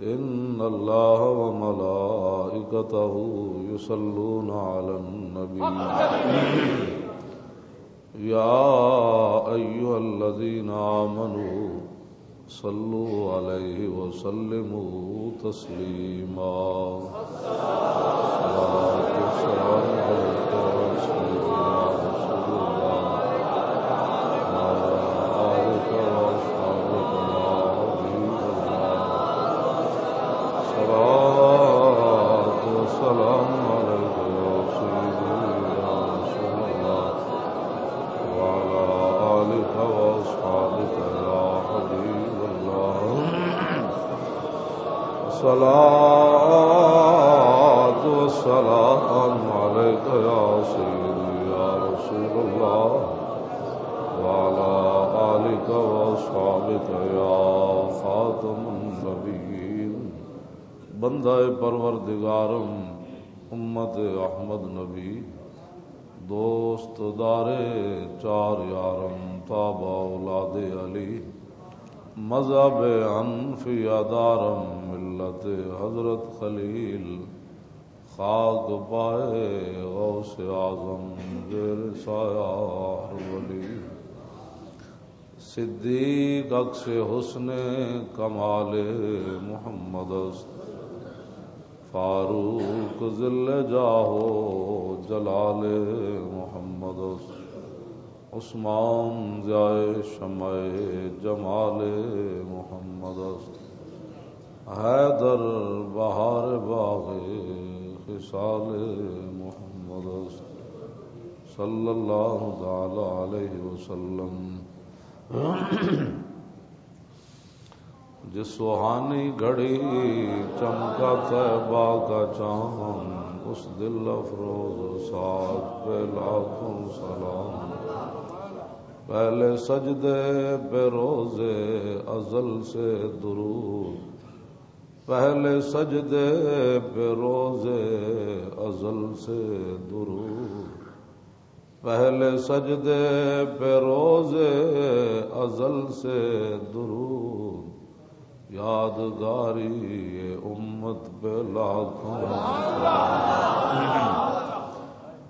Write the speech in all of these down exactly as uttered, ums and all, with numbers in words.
إن الله وملائكته يصلون على النبي. يا أيها الذين آمنوا صلوا عليه وسلموا تسليما. الصلاة والسلام عليك يا سيدنا رسول الله، وعلى آلك وأصحابك يا حبيب الله. الصلاة والسلام عليك يا سيدي يا رسول الله، وعلى آلك وأصحابك يا حبيب الله. الصلاة والسلام عليك يا سيدي يا رسول الله، وعلى آلك وأصحابك يا خاتم النبيين. بندہ پروردگارم، امت احمد نبی، دوست دارے چار یارم، تابع اولاد علی، مذہب حنفیہ دارم، ملت حضرت خلیل، خاک پائے غوث اعظم، زیر سایہ ہر ولی۔ صدیق عکس حسن کمال محمد است، فاروق ذل جاہ و جلال محمد است، عثمان ضیاء شمع جمال محمد است، حیدر بہار باغ خصال محمد است، صلی اللہ تعالی علیہ وسلم۔ جس سہانی گھڑی چمکا طیبہ کا چاند، اس دل افروز سعد پہ لاکھوں سلام۔ پہلے سجدے پہ روز ازل سے درود، پہلے سجدے پہ روز ازل سے درود، پہلے سجدے پہ روز ازل سے درود، یادگاری امت پہ لاکھوں سلام۔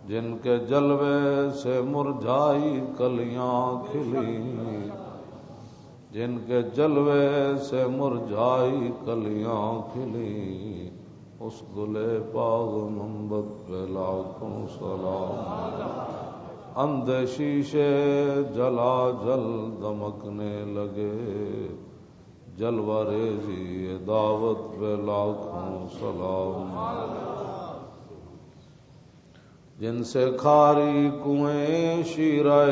جن کے جلوے سے مرجھائی کلیاں کھلی، جن کے جلوے سے مرجھائی کلیاں کھلی، اس گلے باغ منبت پہ لاکھوں سلام۔ اندھے شیشے جلا جل دمکنے لگے، جلوہ ریزی دعوت پہ لاکھوں سلام۔ جن سے کھاری کنویں شیرہ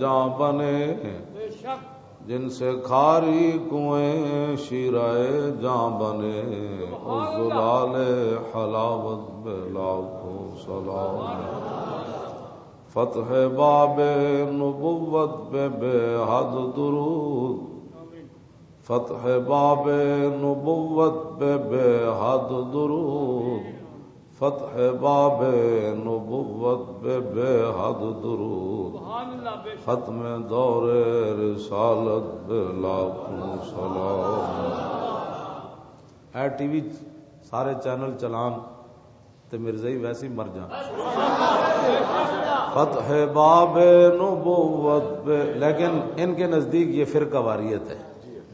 جاں بنے، جن سے کھاری کنویں شیرہ جاں بنے، اس زلال حلاوت پہ لاکھوں سلام۔ فتح باب نبوت پہ بے حد درود، فتح باب نبوت پہ بے حد درود، فتح باب نبوت پہ بے حد درود، ختم دور رسالت پہ لاکھوں سلام۔ اے ٹی وی سارے چینل چلان تے مرزائی ویسے ہی مر جان۔ فتح باب نبوت پہ، لیکن ان کے نزدیک یہ فرقہ واریت ہے۔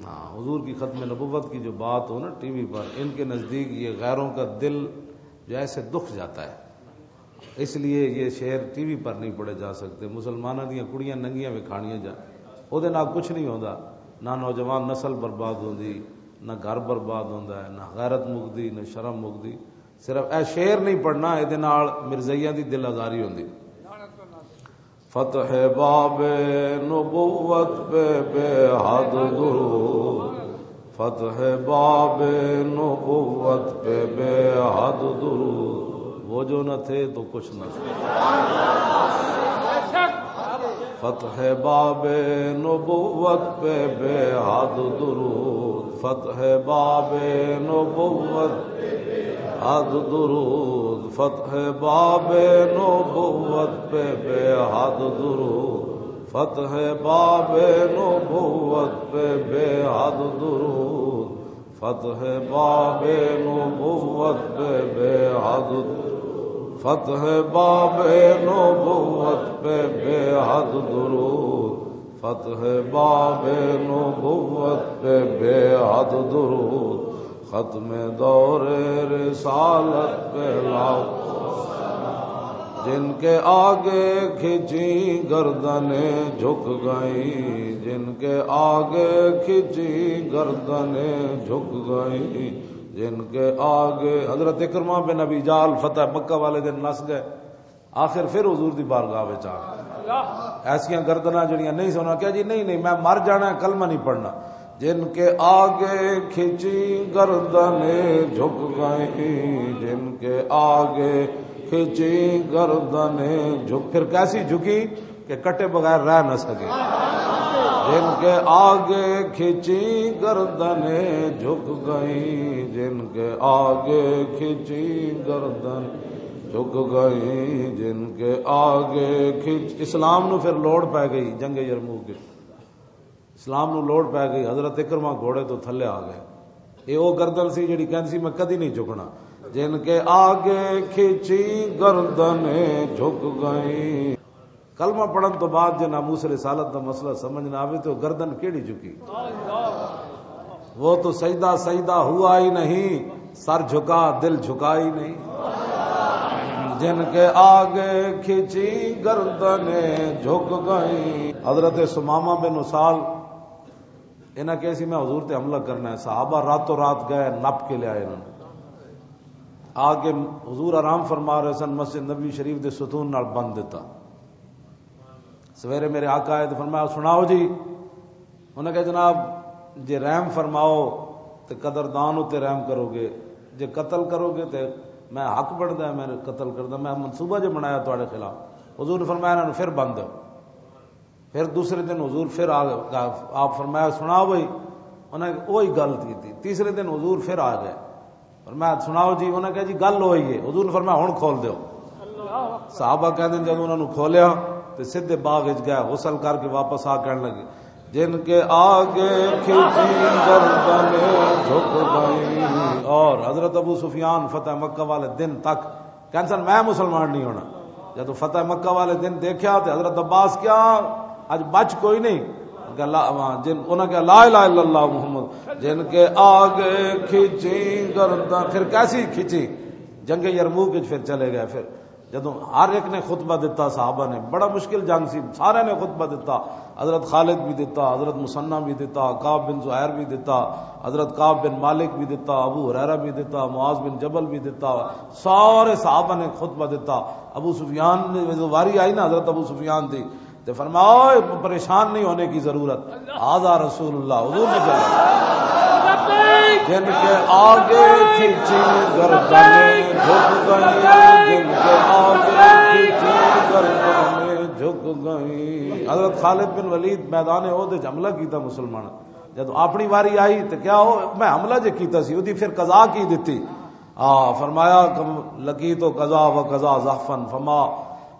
ہاں، حضور کی ختم نبوت کی جو بات ہو نا ٹی وی پر، ان کے نزدیک یہ غیروں کا دل جو ایسے دکھ جاتا ہے، اس لیے یہ شعر ٹی وی پر نہیں پڑھے جا سکتے۔ مسلمانوں دیاں کڑیاں ننگیاں وکھاڑیاں جان، او دے نال کچھ نہیں ہوندا۔ نہ نوجوان نسل برباد ہوندی، نہ گھر برباد ہوندا ہے، نہ غیرت مکدی، نہ شرم مکدی۔ صرف اے شعر نہیں پڑھنا، اے دے نال مرزائیاں دی دل آزاری ہوندی۔ فتح باب نبوت پہ بے حد درود، فتح باب نبوت پہ بے حد درود۔ وہ جو نہ تھے تو کچھ نہ تھے۔ فتح باب نبوت پہ بے حد درود، فتح باب نبوت حد درود، فتح باب نبوت پہ بے حد درود، فتح باب نبوت پہ بے حد درود، فتح باب نبوت پہ بے حد، فتح باب نبوت پہ بے حد درود، فتح باب نبوت پہ بے حد درود، ختم دور رسالت پہ لاکھوں، جن کے آگے کھچی گردنیں جھک گئیں، جن کے آگے کھچی گردنیں جھک گئیں، جن کے آگے حضرت اکرمہ بن ابی جہل فتح مکہ والے دن نس گئے، آخر پھر حضور دی بارگاہ وچ آ گئے۔ ایسیاں گردناں جڑیاں نہیں سونا کیا جی، نہیں نہیں، میں مر جانا ہے، کلمہ نہیں پڑھنا۔ جن کے آگے کھچی گردنیں جھک گئیں، جن کے آگے کھچی گردنیں جھک، پھر کیسی جھکی کہ کٹے بغیر رہ نہ سکے۔ جن کے آگے کھچی گردنیں جھک گئیں، جن کے آگے کھچی گردن جھک گئیں، جن کے آگے کھچ، اسلام نو پھر لوڑ پے گئی جنگ یرموک وچ۔ اسلام نو لوڑ پے گئی، حضرت اکرمہ گھوڑے تو تھلے آ گئے۔ یہ وہ گردن سی جڑی کہندی سی، "میں کدی نہیں جھکنا۔" جن کے آگے کھچی گردنیں جھک گئیں۔ کلمہ پڑھن تو بعد جے ناموس رسالت دا مسئلہ سمجھ نہ آوے تو گردن کیڑی جھکی؟ وہ تو سجدہ سجدہ ہوا ہی نہیں، سر جھکا، دل جھکا ہی نہیں۔ جن کے آگے کھچی گردنیں جھک گئیں۔ حضرت ثمامہ بن اسال، انہاں کہے سی، "میں حضور تے حملہ کرنا ہے۔" صحابہ راتوں رات گئے، نپ کے لے آئے انہاں نے۔ آ کے حضور آرام فرما رہے سن، مسجد نبوی شریف دے ستون نال بند دیتا۔ سویرے میرے آقا آئے تو فرمایا، "سناؤ جی۔" انہاں کہا، "جناب، جے رحم فرماؤ تے قدردان اتے رحم کرو گے، جے قتل کرو گے تے میں حق بندا ہے، میں قتل کردا، میں منصوبہ جو بنایا تہاڈے خلاف۔" حضور نے فرمایا، "انہاں نوں پھر بند دو۔" پھر دوسرے دن حضور پھر آ گئے، آپ فرمایا، "سناؤ بھائی۔" انہاں نے وہی گل کی تھی۔ تیسرے دن حضور پھر آ گئے، فرمایا، "سناؤ جی۔" انہاں نے کہا، "جی، گل ہوئی ہے۔" حضور نے فرمایا، "ہن کھول دیو۔" صحابہ کہندے نے، جدوں انہاں نوں کھولیا تے سیدھے باغ وچ گئے، غسل کر کے واپس آ کہن لگے، "جن کے آگے کھچی گردنیں جھک گئیں۔" اور حضرت ابو سفیان فتح مکہ والے دن تک کہن سن، "میں مسلمان نہیں ہونا۔" جدوں فتح مکہ والے دن دیکھیا تے حضرت عباس کیا، "اج بچ کوئی نہیں۔" کہ اللہ، جن، انہاں کہا، "لا الہ الا اللہ محمد۔" جن کے آگے کھچی گردن، پھر کیسی کھچی؟ جنگ یرموک وچ پھر چلے گئے۔ پھر جدوں ہر ایک نے خطبہ دتا، صحابہ نے، بڑا مشکل جنگ سی، سارے نے خطبہ دتا، حضرت خالد بھی دتا، حضرت مسنہ بھی دتا، کعب بن زہیر بھی دتا، حضرت کعب بن مالک بھی دتا، ابو ہریرہ بھی دتا، معاذ بن جبل بھی دتا، سارے صحابہ نے خطبہ دتا۔ ابو سفیان نے، جدوں واری آئی نا حضرت ابو سفیان دی، تے فرمایا، "اوئے، پریشان نہیں ہونے کی ضرورت، ھذا رسول اللہ، حضور نے جانا۔" جن کے آگے کھینچی گردنیں جھک گئیں، جن کے آگے کھینچی گردنیں جھک گئیں۔ حضرت خالد بن ولید میدان احد وچ حملہ کیتا مسلمان۔ جدوں اپنی واری آئی تے کیا ہو، میں حملہ جے کیتا سی، اودی پھر قضا کی دتی؟ آ، فرمایا کہ لقیت قضا و قضا زحفا فما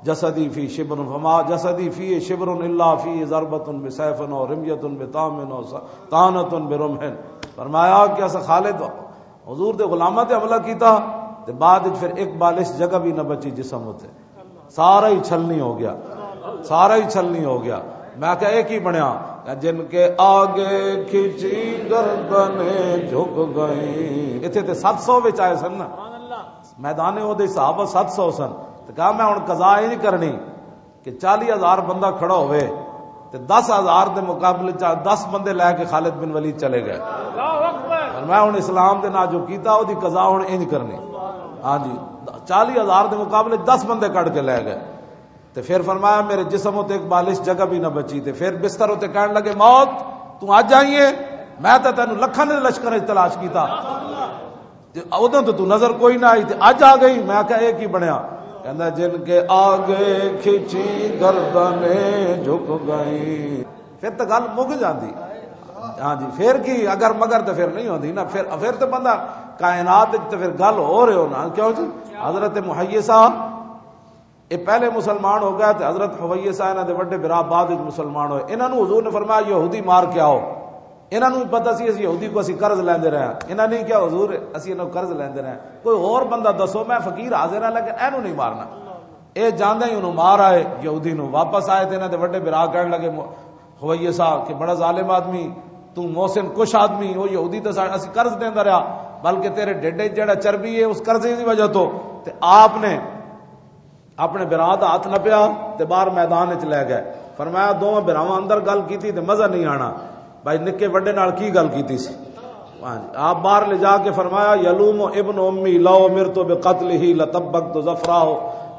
جسدی فی شبر، فما جسدی فی شبر الا فی ضربۃ بسیف او رمیۃ بطعن او طعنۃ برمح۔ فرمایا کہ اسا خالد حضور دے غلاماں تے حملہ کیتا تے بعد وچ پھر ایک بالش جگہ بھی نہ بچی جسم اتے، سارا ہی چھلنی ہو گیا، سارا ہی چھلنی ہو گیا۔ میں کہا، "یہ کی بنیا؟" کہ جن کے آگے کھینچی گردنیں جھک گئیں۔ اتھے تے ست سو وچ آئے سن نا، میدان احد صحابہ ست سو سن۔ تے کہا، "میں ہن قضا انج کرنی کہ چالی ہزار بندہ کھڑا ہوئے تے دس ہزار دے مقابلے چ دس بندے لے کے خالد بن ولید چلے گئے۔ اور میں ہن اسلام دے نال جو کیتا، او دی قضا ہن انج کرنی۔" ہاں جی، چالی ہزار دے مقابلے دس بندے کڈ کے لے گئے۔ تے پھر فرمایا، "میرے جسم اتے ایک بالش جگہ بھی نہ بچی۔" تے پھر بستر اتے کہن لگے، "موت، تو اج آئی ہے، میں تے تینوں لکھاں دے لشکر وچ تلاش کیتا، تے ادوں تے تو نظر کوئی نہ آئی، تے اج آ گئی۔" میں کہا، "یہ کی بنیا؟" کہندا، "جن کے آگے کھینچی گردنیں جھک گئیں۔" پھر تے گل مک جاندی۔ ہاں جی، پھر کی، اگر مگر تے پھر نہیں ہوندی نا، پھر، پھر تے بندہ کائنات وچ تے پھر گل ہو رہے ہو نا، کیوں جی؟ حضرت محیصہ یہ پہلے مسلمان ہو گیا، تے حضرت حویصہ انہاں دے وڈے برا بعد وچ مسلمان ہوئے۔ انہاں نوں حضور نے فرمایا، "یہودی مار کے آؤ۔" انہاں نوں بھی پتہ سی، اسی یہودی کو اسی قرض لیندے رہے ہاں۔ انہاں نے کیا، "حضور، اسی انہاں کو قرض لیندے رہے ہاں، کوئی اور بندہ دسو، میں فقیر حاضر ہاں، لیکن اینوں نہیں مارنا۔" اے جاندے ہی انہوں مار آئے، یہودی نوں واپس آئے تے انہاں دے وڈے بھرا کہن لگے، مو-، ہوئیے صاحب کہ بڑا ظالم آدمی، تو محسن کش آدمی، وہ یہودی تے سا-، اسی قرض دیندا رہیا، بلکہ تیرے ڈیڈے جڑا چربی ہے اس قرضے دی وجہ تو۔ تے آپ نے اپنے بھرا دا ہاتھ نپیا تے باہر میدان وچ لے گئے۔ فرمایا، "دوواں بھراواں اندر گل کیتی تے مزہ نہیں آنا، بھائی نکے وڈے نال کی گل کیتی سی۔" ہاں جی، آپ باہر لے جا کے فرمایا، "یلوم ابن امی لو مرت بقتلہ لطبقت ظفرہ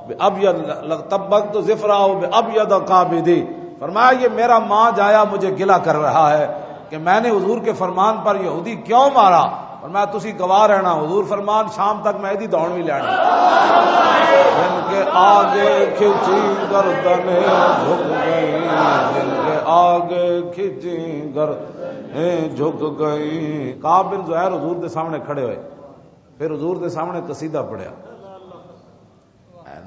بابیض، لطبقت ظفرہ بابیض قابضی۔" فرمایا، "یہ میرا ماں جایا مجھے گلہ کر رہا ہے کہ میں نے حضور کے فرمان پر یہودی کیوں مارا؟" فرمایا، "تسی گواہ رہنا، حضور فرمان، شام تک میں ایدی دون بھی لینا۔" جن کے آگے کھچی گردنیں جھک گئی، جن کے آگے کھچی گردنیں جھک گئی۔ کعب بن زہیر حضور دے سامنے کھڑے ہوئے، پھر حضور دے سامنے قصیدہ پڑھیا۔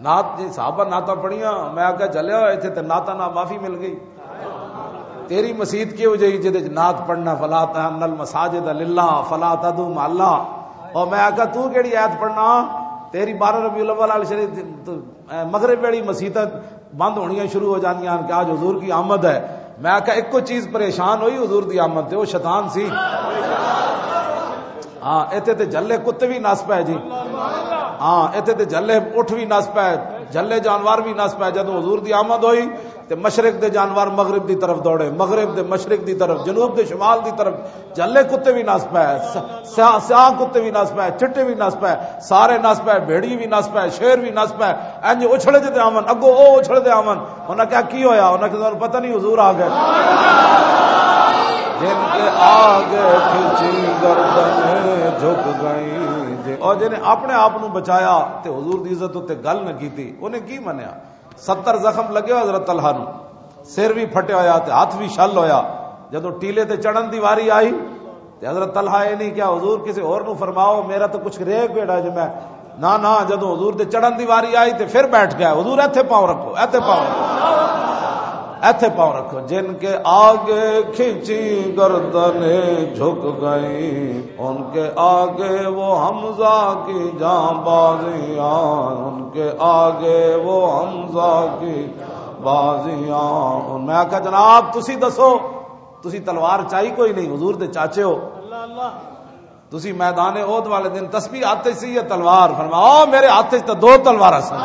نعت جی، صحابہ نعتاں پڑھیاں، میں آکھیا، "جلیا ہویا، ایتھے تے نعتاں نال معافی مل گئی۔ تیری مسیت کیہو جئی جدے وچ نعت پڑھنا، فلا تأمن المساجد للہ، فلا تدعو مع اللہ۔" اور میں آکھیا، "تو کیڑی آیت پڑھنا؟ تیری بارہ ربیع الاول والی شریف، تو، اے، مغرب ویلی مسیتاں بند ہونیاں شروع ہو جاندیاں ہن کہ آج حضور کی آمد ہے۔" میں آکھیا، "ایک کوئی چیز پریشان ہوئی حضور دی آمد تے، وہ شیطان سی۔" ہاں، ایتھے تے جھلے کتے بھی نس پے جی۔ ہاں، ایتھے تے جھلے اٹھ بھی نس پے، جھلے جانور بھی نس پے۔ جدوں حضور دی آمد ہوئی تے مشرق دے جانور مغرب دی طرف دوڑے، مغرب دے مشرق دی طرف، جنوب دے شمال دی طرف، جھلے کتے بھی نس پے، س-، سیاہ، سیاہ کتے بھی نس پے، چٹے بھی نس پے، سارے نس پے، بھیڑی بھی نس پے، شیر بھی نس پے۔ انج اچھلے دے آون، اگوں او اچھلے دے آون۔ انہاں کہا، "کی ہویا؟" انہاں کہا، "تانوں پتہ نہیں، حضور آ گئے۔" جن کے آگے کھچی گردنیں جھک گئیں۔ جن-، اور جنہیں اپنے آپ نو بچایا تے حضور دی عزت اُتے گل نہ کیتی، انہیں کی منیا؟ ستر زخم لگے ہوئے حضرت طلحہ نو، سر بھی پھٹیا ہویا تے ہاتھ بھی شل ہویا۔ جدوں ٹیلے تے چڑھن دی واری آئی، تے حضرت طلحہ اے نہیں کہا، "حضور، کسے ہور نو فرماؤ، میرا تو کچھ رہ گیا جے میں۔" نہ، نہ، جدوں حضور دے چڑھن دی واری آئی تے پھر بیٹھ گیا، "حضور، ایتھے پاؤں رکھو، ایتھے پاؤں رکھو، ایتھے پاؤں رکھو۔" جن کے آگے کھینچی گردنیں جھک گئیں، ان کے آگے وہ حمزہ کی جاں بازیاں، ان کے آگے وہ حمزہ کی بازیاں۔ میں آکھیا، "جناب، تسی دسو۔" تسی تلوار چائی کوئی نہیں، حضور دے چاچے ہو۔ تسی میدان احد والے دن تسبیح ہاتھ وچ سی یا تلوار؟ فرمایا، "او، میرے ہاتھ وچ تے دو تلواراں سن۔"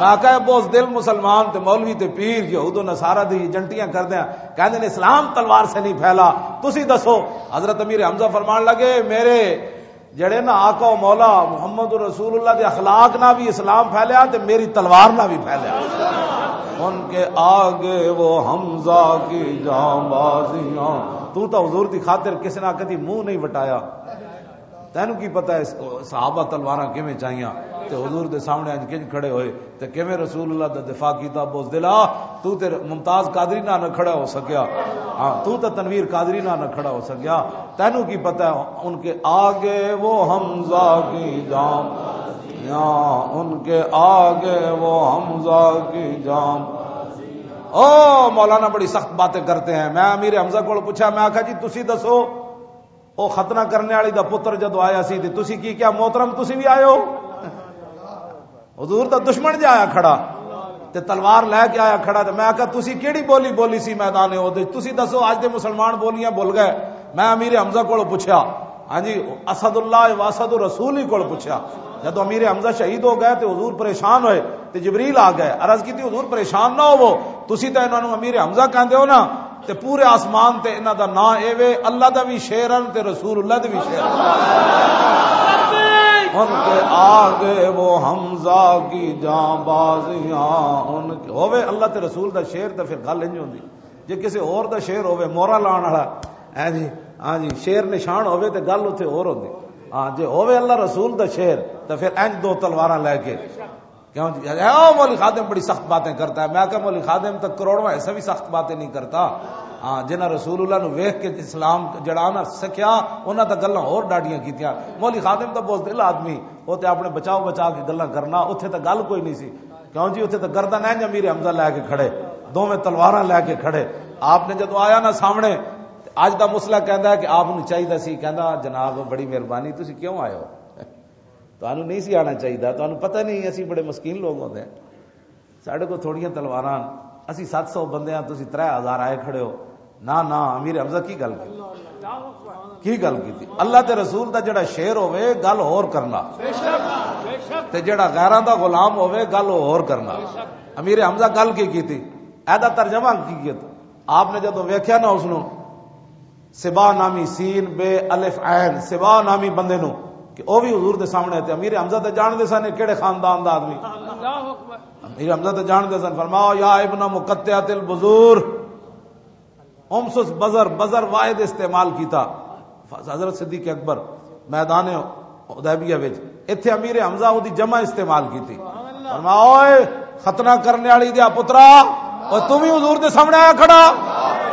میں کہا، "بہت دل مسلمان تے مولوی تے پیر یہود و نصارہ دی ایجنٹیاں کردے ہیں، کہندے نے اسلام تلوار سے نہیں پھیلا۔" تسی دسو۔ حضرت امیر حمزہ فرمان لگے، میرے جڑے نا آقا و مولا محمد رسول اللہ دے اخلاق نہ بھی اسلام پھیلیا تے میری تلوار نہ بھی پھیلیا۔ ان کے آگے وہ حمزہ کی جاں بازیاں۔ تو تا حضور دی خاطر کسی نہ کدی منہ نہیں وٹایا۔ تینوں کی پتہ ہے، صحابہ تلواراں کیویں چائیاں تے حضور دے سامنے اج کنج کھڑے ہوئے؟ تے کیویں رسول اللہ دا دفاع کیتا؟ بزدلا، تو تے ممتاز قادری نہ نہ کھڑا ہو سکیا۔ ہاں، تو تے تنویر قادری نہ نہ کھڑا ہو سکیا۔ تینوں کی پتہ ہے، ان کے آگے وہ حمزہ کی جان، یا ان کے آگے وہ حمزہ کی جان۔ او مولانا بڑی سخت باتیں کرتے ہیں۔ میں امیر حمزہ کو پوچھا، میں آکھا، "جی تسی دسو، او ختنہ کرنے والی دا پتر جدو آیا سی تے تسی کی کیا، محترم تسی بھی آئے ہو؟" حضور دا دشمن جا آیا کھڑا تے تلوار لے کے آیا کھڑا، تے میں آکھیا، "تسی کیڑی بولی بولی سی میدان احد وچ؟ تسی دسو، اج دے مسلمان بولیاں بھول گئے؟" میں امیر حمزہ کولوں پوچھیا، ہاں جی، اسد اللہ و اسد رسول ہی کولوں پوچھیا۔ جدوں امیر حمزہ شہید ہو گئے تے حضور پریشان ہوئے تے جبریل آ گئے، عرض کیتی، "حضور پریشان نہ ہوو، تسی تے انہاں نوں امیر حمزہ کہندے ہو نا، تے پورے آسمان تے انہاں دا نام اے وے، اللہ دا وی شعر ہن تے رسول اللہ دے وی شعر ہن۔" ان کے آگے وہ حمزہ کی جاں بازیاں، ان کے، ہووے اللہ تے رسول دا شعر تے پھر گل انج ہوندی۔ جے کسے ہور دا شعر ہووے، مورا لان والا، اے جی، ہاں جی، شعر نشان ہووے تے گل اوتھے ہور ہوندی۔ ہاں، جے ہووے اللہ رسول دا شعر تے پھر انج دو تلواراں لے کے کیوں جی؟ اے، او مولوی خادم بڑی سخت باتیں کرتا ہے۔ میں کہا، "مولوی خادم تو کروڑواں حصہ بھی سخت باتیں نہیں کرتا۔" ہاں، جنہاں رسول اللہ نو ویکھ کے اسلام جڑا نہ سکھیا، انہاں تاں گلاں ہور ڈاڈیاں کیتیاں۔ مولوی خادم تاں بزدل آدمی، او تے اپنے بچاؤ بچا کے گلاں کرنا، اوتھے تاں گل کوئی نہیں سی۔ کیوں جی؟ اوتھے تاں گردن انج امیر حمزہ لے کے کھڑے، دوویں تلواراں لے کے کھڑے۔ آپ نے جدوں آیا نا سامنے، تے اج دا مسئلہ کہندا ہے کہ آپ نوں چاہیدا سی، کہندا، "جناب، بڑی مہربانی، تسی کیوں آئے ہو؟ تانوں نہیں سی آنا چاہیدا، تانوں پتہ نہیں، اسی بڑے مسکین لوگ ہوندے ہیں۔" ساڈے کول تھوڑیاں تلواراں، اسی ست سو بندے ہاں، تسی ترے ہزار آئے کھڑے ہو۔ نہ، نہ، امیر حمزہ کی گل کی؟ کی گل کی؟ اللہ تے رسول دا جڑا شعر ہوے، گل ہور کرنا۔ تے جڑا غیراں دا غلام ہوے، گل ہور کرنا۔ امیر حمزہ گل کی کیتی؟ ایدا ترجمہ کی کیتا؟ آپ نے جدوں ویکھیا نا اس نوں، سبا نامی، سین بے الف عین، سبا نامی بندے نوں، کہ او بھی حضور دے سامنے، تے امیر حمزہ تے جان دے سن کہڑے خاندان دا آدمی۔ امیر حمزہ تے جان دے سن، فرمایا، "یا ابن مقطعۃ البذور۔" امسس بذر، بذر واحد استعمال کیتا۔ حضرت صدیق اکبر میدان حدیبیہ وچ، ایتھے امیر حمزہ اودی جمع استعمال کیتی۔ فرمایا، "اوئے ختنہ کرنے والی دیا پترا، او تم ہی حضور دے سامنے آیا کھڑا۔"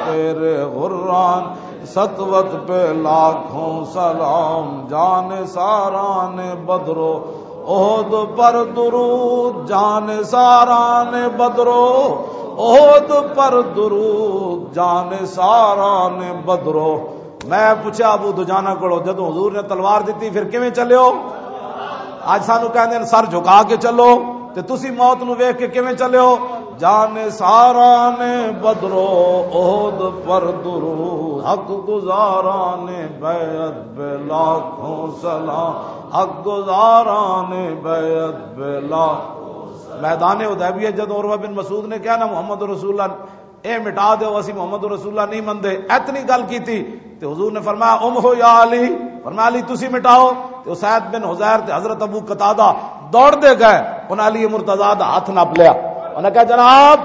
تیرے غران سطوت پہ لاکھوں سلام، جان ساران بدرو احد پر درود، جان ساران بدرو احد پر درود، جان ساران بدرو۔ میں پوچھا ابو دجانہ کولوں، "جدوں حضور نے تلوار دتی، پھر کیویں چلے ہو؟ اج سانوں کہندے نے، 'سر جھکا کے چلو، تے تسی موت نوں ویکھ کے کیویں چلے ہو؟'" جان ساران بدرو احد پر درود، حق گزاران بیعت بے لاکھوں سلام، حق گزاران بیعت بے لاکھ۔ میدان حدیبیہ جدوں عروہ بن مسعود نے کہا نا، "محمد رسول اللہ، اے مٹا دیو، اسی محمد رسول اللہ نہیں مندے"، اتنی گل کیتی تے حضور نے فرمایا، "امحو یا علی"، فرمایا، "علی، تسی مٹاؤ۔" تے اسید بن حذیر تے حضرت ابو قتادہ دوڑ دے گئے، انہاں علی مرتضی دا ہاتھ نپ لیا۔ انہاں کہا، "جناب،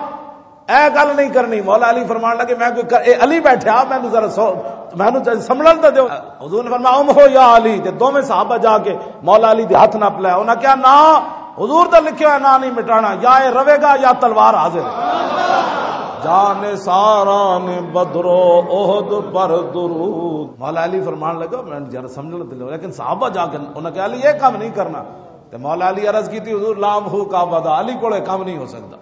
اے گل نہیں کرنی۔" مولا علی فرمان لگے، "میں کوئی کر-، اے علی بیٹھا، مینوں ذرا سو-، مینوں ذرا سنبھلن تے دیو۔" حضور نے فرمایا، "امحو یا علی"، تے دوویں صحابہ جا کے مولا علی دے ہاتھ نپ لیا۔ انہاں کہا، "نہ، حضور دا لکھیا ہویا نام نہیں مٹانا، یا اے روے گا یا تلوار حاضر ہے۔" جان ساران بدرو احد پر درود۔ مولا علی فرمان لگا، "میں ذرا سمجھنا دل ہو۔" لیکن صحابہ جا کے انہاں کہا، "علی، یہ کام نہیں کرنا۔" تے مولا علی عرض کی تھی، "حضور، لام ہو کا بدا، علی کولے کام نہیں ہو سکتا۔"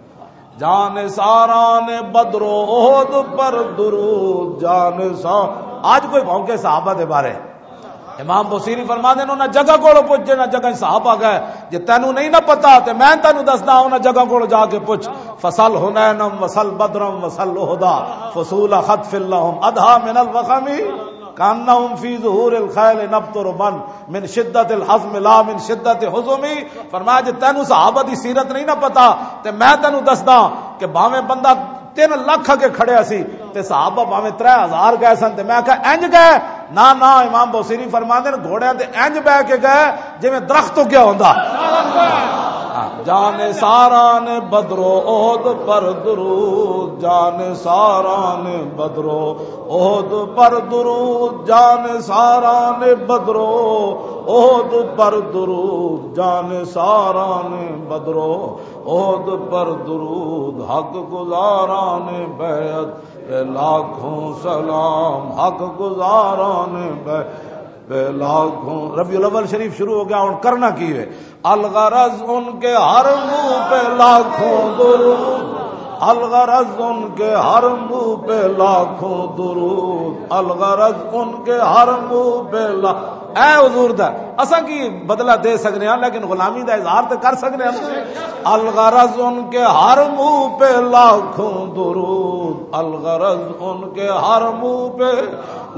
جان ساران بدرو احد پر درود، جان سا-، آج کوئی بھونکے صحابہ دے بارے۔ امام بصیری فرما دے، انہاں جگہ کولوں پوچھ، جنہاں جگہ صحابہ گئے، جے تینوں نہیں نہ پتا تے میں تینوں دسدا، انہاں جگہ کولوں جا کے پوچھ۔ فصل حنینم وصل بدرم وصل احدا، فصول خطف لهم اضحى من الوخم، کانہم فی ظہور الخیل نبت ربن، من شدت الحزم لا من شدت حزمی۔ فرمایا، جے تینوں صحابہ دی سیرت نہیں نہ پتا، تے میں تینوں دسدا کہ بھاویں بندہ تین لکھ اگے کھڑیا سی، تے صحابہ بھاویں ترے ہزار گئے سن، تے میں آکھیا، "انج گئے؟" نہ، نہ، امام بوسیری فرماندے نے، گھوڑیاں تے انج بہ کے گئے جویں درخت اگیا ہوندا۔ ہاں، جان ساران بدرو احد پر درود، جان ساران بدرو احد پر درود، جان ساران بدرو احد پر درود، جان ساران بدرو احد پر درود، حق گزاران بیعت پہ لاکھوں سلام، حق گزاران بیعت پہ لاکھوں۔ ربیع الاول شریف شروع ہو گیا، ہن کرنا کی ہے؟ الغرض ان کے ہر منہ پہ لاکھوں درود، الغرض ان کے ہر منہ پہ لاکھوں درود، الغرض ان کے ہر منہ پہ لا-، اے حضور دا، اساں کی بدلہ دے سکنے ہاں، لیکن غلامی دا اظہار تے کر سکنے ہاں۔ الغرض ان کے ہر منہ پہ لاکھوں درود، الغرض ان کے ہر منہ پہ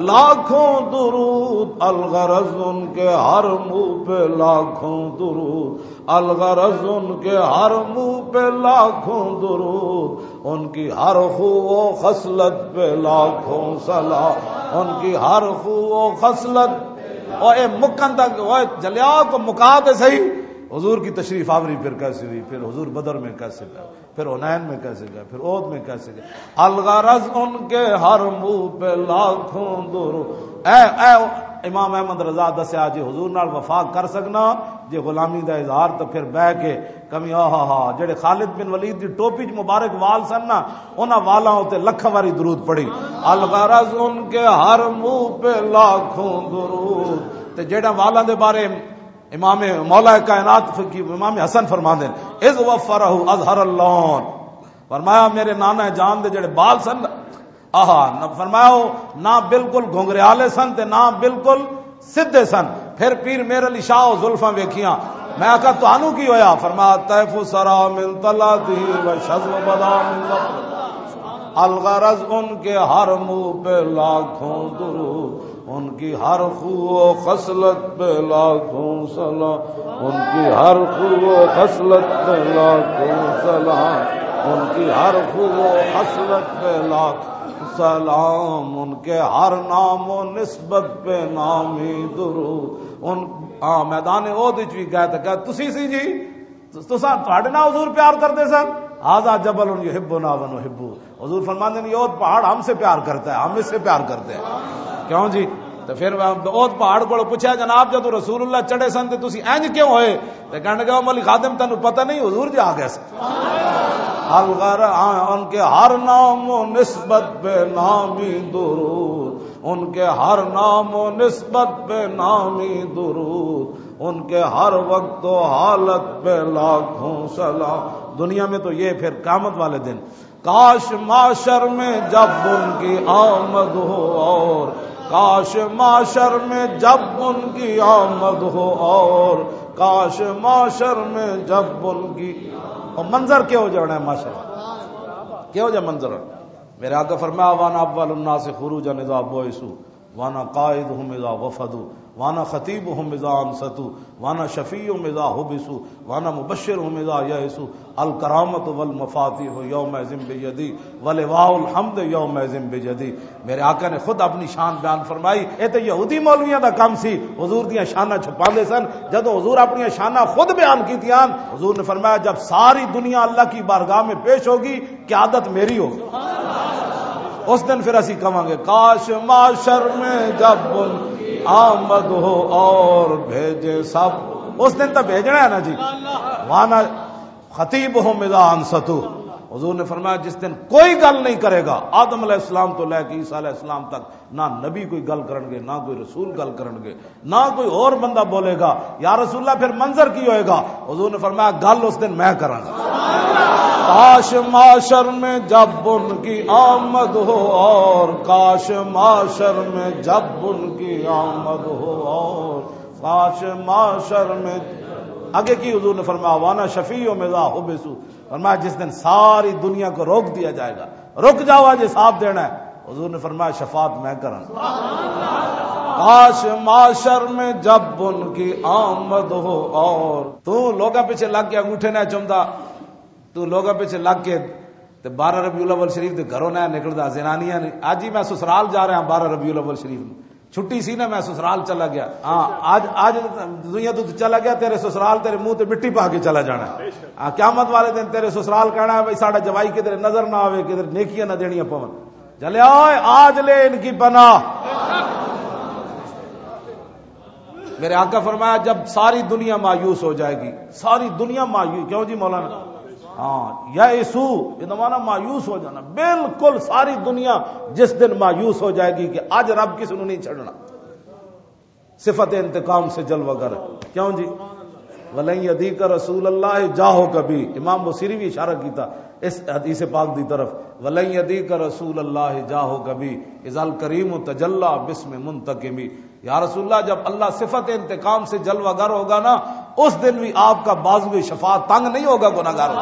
لاکھوں درود، الغرض ان کے ہر منہ پہ لاکھوں درود، الغرض ان کے ہر منہ پہ لاکھوں درود، ان کی ہر خو و خصلت پہ لاکھوں سلام، ان کی ہر خو و خصلت۔ او اے مکن تک، او جلیا کو مکا تے صحیح۔ حضور کی تشریف آوری پھر کیسی ہوئی، پھر حضور بدر میں کیسے گئے، پھر حنین میں کیسے گئے، پھر احد میں کیسے گئے۔ الغرض ان کے ہر منہ پہ لاکھوں درود۔ اے، اے امام احمد رضا دسیا، جے حضور نال وفا کر سکنا، جے غلامی دا اظہار، تو پھر بہ کے کمی، آہا ہا، جڑے خالد بن ولید دی ٹوپی چ مبارک وال سن نا، انہاں والاں اتے لکھاں واری درود پڑھی۔ الغرض ان کے ہر منہ پہ لاکھوں درود۔ تے جڑے والاں دے بارے امام مولا کائنات فقی امام حسن فرماندے نے، "اذ وفرہ اظہر اللون"، فرمایا، میرے نانا جان دے جڑے بال سن، آہا، نہ فرمایا، وہ نہ بالکل گھنگریالے سن تے نہ بالکل سدھے سن۔ پھر پیر میر علی شاہ، وہ زلفاں ویکھیاں۔ میں آکھیا، "تانوں کی ہویا؟" فرمایا، "طیف سرا من طلعته و شذ و بدا من ظفره۔ الغرض ان کے ہر منہ پہ لاکھوں درود، ان کی ہر خو و خصلت پہ لاکھوں سلام، ان کی ہر خو و خصلت پہ لاکھوں سلام، ان کی ہر خو و خصلت پہ لاکھوں سلام، ان کے ہر نام و نسبت پہ نامی درود۔" ان، ہاں، میدان احد وچ بھی گئے تے کہا، "تسی سی جی، تساں، تہاڈے نال حضور پیار کردے سن؟" "ھذا جبل یحبنا و نحبہ۔" حضور فرماندے نے، "یہ احد پہاڑ ہم سے پیار کرتا ہے، ہم اس سے پیار کرتے ہیں۔" کیوں جی؟ تو پھر احد پہاڑ کو پوچھا، "جناب، جدوں رسول اللہ چڑھے سن تے تسی انج کیوں ہوئے؟" تے کہنے لگا، "او علی خادم، تینوں پتہ نہیں، حضور جی آ گئے سن۔" الغر، ہاں، ان کے ہر نام و نسبت پہ نامی درود، ان کے ہر نام و نسبت پہ نامی درود، ان کے ہر وقت و حالت پہ لاکھوں سلام۔ دنیا میں تو یہ، پھر قیامت والے دن، کاش معاشر میں جب ان کی آمد ہو اور، کاش معاشر میں جب ان کی آمد ہو اور، کاش معاشر میں جب ان کی، اور منظر کیا ہو جانا ہے معاشر؟ کیا ہو جائے منظر؟ میرے آقا فرمایا، "وانا اول الناس خروجا اذا بعثوا، وانا قائدهم اذا وفدوا، وانا خطیبهم اذا انصتوا، وانا شفیعهم اذا حبسوا، وانا مبشرهم اذا یئسوا، الکرامۃ والمفاتیح یومئذ بیدی، ولواء الحمد یومئذ بیدی۔" میرے آقا نے خود اپنی شان بیان فرمائی۔ اے تے یہودی مولویاں دا کم سی، حضور دیاں شاناں چھپاندے سن۔ جدوں حضور اپنی شاناں خود بیان کیتیاں، حضور نے فرمایا، "جب ساری دنیا اللہ کی بارگاہ میں پیش ہوگی، قیادت میری ہوگی۔" اس دن پھر اسی کہاں گے، "کاش معاشر میں جب ان کی آمد ہو اور بھیجے سب۔" اس دن تو بھیجنا ہے نا جی۔ وانا خطیبهم اذا انصتوا۔ حضور نے فرمایا، جس دن کوئی گل نہیں کرے گا، آدم علیہ السلام تو لے کے عیسیٰ علیہ السلام تک، نہ نبی کوئی گل کرن گے، نہ کوئی رسول گل کرن گے، نہ کوئی اور بندہ بولے گا۔ یا رسول اللہ، پھر منظر کی ہوئے گا؟ حضور نے فرمایا، گل اس دن میں کراں گا۔ کاش معاشر میں جب ان کی آمد ہو اور، کاش معاشر میں جب ان کی آمد ہو اور، کاش معاشر میں، آگے کی حضور نے فرمایا، وانا شفیع میں ذا حبسو، فرمایا، جس دن ساری دنیا کو روک دیا جائے گا، رک جاؤ، آج حساب دینا ہے۔ حضور نے فرمایا، شفاعت میں کروں۔ کاش معاشر میں جب ان کی آمد ہو اور، تو لوگاں پیچھے لگ کے انگوٹھے نہ چمدا، تو لوگاں پیچھے لگ کے تے بارہ ربیع الاول شریف دے گھروں نہ نکلدا، زنانیاں نے، "اج ہی میں سسرال جا رہا ہاں بارہ ربیع الاول شریف نوں۔" چھٹی سی نا، میں سسرال چلا گیا۔ ہاں، اج، اج دنیا تو چلا گیا، تیرے سسرال تیرے منہ تے مٹی پا کے چلا جانا۔ ہاں، قیامت والے دن تیرے سسرال کہنا ہے، "بھائی، ساڈا جوائی کدھر نظر نہ آوے، کدھر نیکیاں نہ دینیاں پون۔" چلے آئے، آج لے ان کی پناہ۔ میرے آقا فرمایا، جب ساری دنیا مایوس ہو جائے گی، ساری دنیا مایوس، کیوں جی مولانا؟ ہاں، یئسوا، یہ زمانہ مایوس ہو جانا، بالکل ساری دنیا جس دن مایوس ہو جائے گی کہ آج رب کس نوں نہیں چھڑنا۔ صفت انتقام سے جلوہ گر۔ کیوں جی؟ "ولن یدیک رسول اللہ جاہو کبھی۔" امام بصیری بھی اشارہ کیتا اس حدیث پاک دی طرف، "ولن یدیک رسول اللہ جاہو کبھی، اذا الکریم تجلی باسم منتقمی۔" یا رسول اللہ، جب اللہ صفت انتقام سے جلوہ گر ہوگا نا، اس دن بھی آپ کا بازو شفاعت تنگ نہیں ہوگا گناہگاروں۔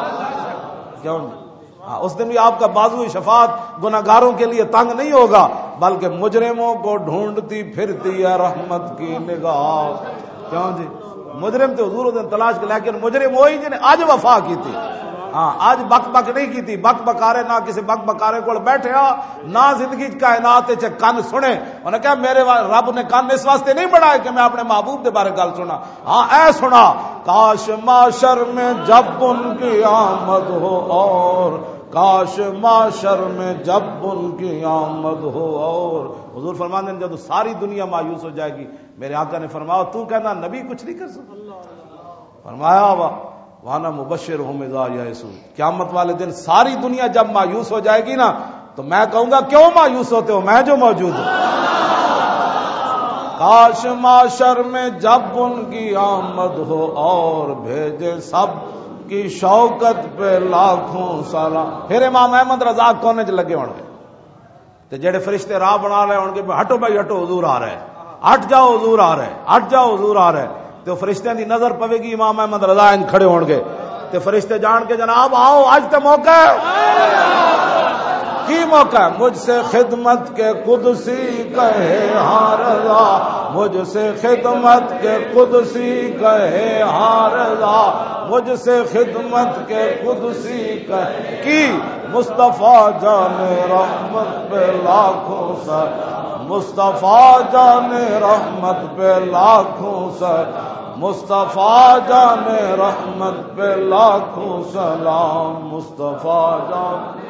کیوں نہیں؟ ہاں، اس دن بھی آپ کا بازو شفاعت گناہگاروں کے لیے تنگ نہیں ہوگا، بلکہ مجرموں کو ڈھونڈتی پھرتی ہے رحمت کی نگاہ۔ کیوں جی؟ مجرم تے حضور اس دن تلاش کے، لیکن مجرم وہی جنہیں اج وفا کی تھی۔ ہاں، اج بک بک نہیں کی تھی، بک بکارے نہ کسی بک بکارے کول بیٹھے ہاں، نہ زندگی چ کائنات چ کن سنے۔ انہاں کہا، "میرے وا-، رب نے کن اس واسطے نہیں بنائے کہ میں اپنے محبوب دے بارے گل سنا۔" ہاں، اے سنا، کاش معاشر میں جب ان کی آمد ہو اور، کاش معاشر میں جب ان کی آمد ہو اور۔ حضور فرماندے ہیں، جب ساری دنیا مایوس ہو جائے گی، میرے آقا نے فرمایا، "تو کہنا نبی کچھ نہیں کر سکتا؟" فرمایا، "وا-، وانا مبشرهم اذا یئسوا۔" قیامت والے دن ساری دنیا جب مایوس ہو جائے گی نا، تو میں کہوں گا، "کیوں مایوس ہوتے ہو؟ میں جو موجود ہوں۔" کاش معاشر میں جب ان کی آمد ہو اور بھیجے سب کی شوکت پہ لاکھوں سلام۔ پھر امام احمد رضا کونے چ لگے ہونے۔ تے جڑے فرشتے راہ بنا رہے ہون گے، "ہٹو بھائی، ہٹو، حضور آ رہا ہے، ہٹ جاؤ، حضور آ رہا ہے، ہٹ جاؤ، حضور آ رہا ہے۔" تے فرشتیاں دی نظر پوے گی، امام احمد رضا انج کھڑے ہون گے۔ تے فرشتے جان کے، "جناب، آؤ، اج تے موقع ہے۔" کی موقع ہے؟ مجھ سے خدمت کے قدسی کہے ہاں رضا، مجھ سے خدمت کے قدسی کہے ہاں رضا، مجھ سے خدمت کے قدسی کہے۔ کی؟ مصطفیٰ جان رحمت پہ لاکھوں سر، مصطفیٰ جان رحمت پہ لاکھوں سر، مصطفیٰ جان رحمت پہ لاکھوں سلام، مصطفیٰ جان۔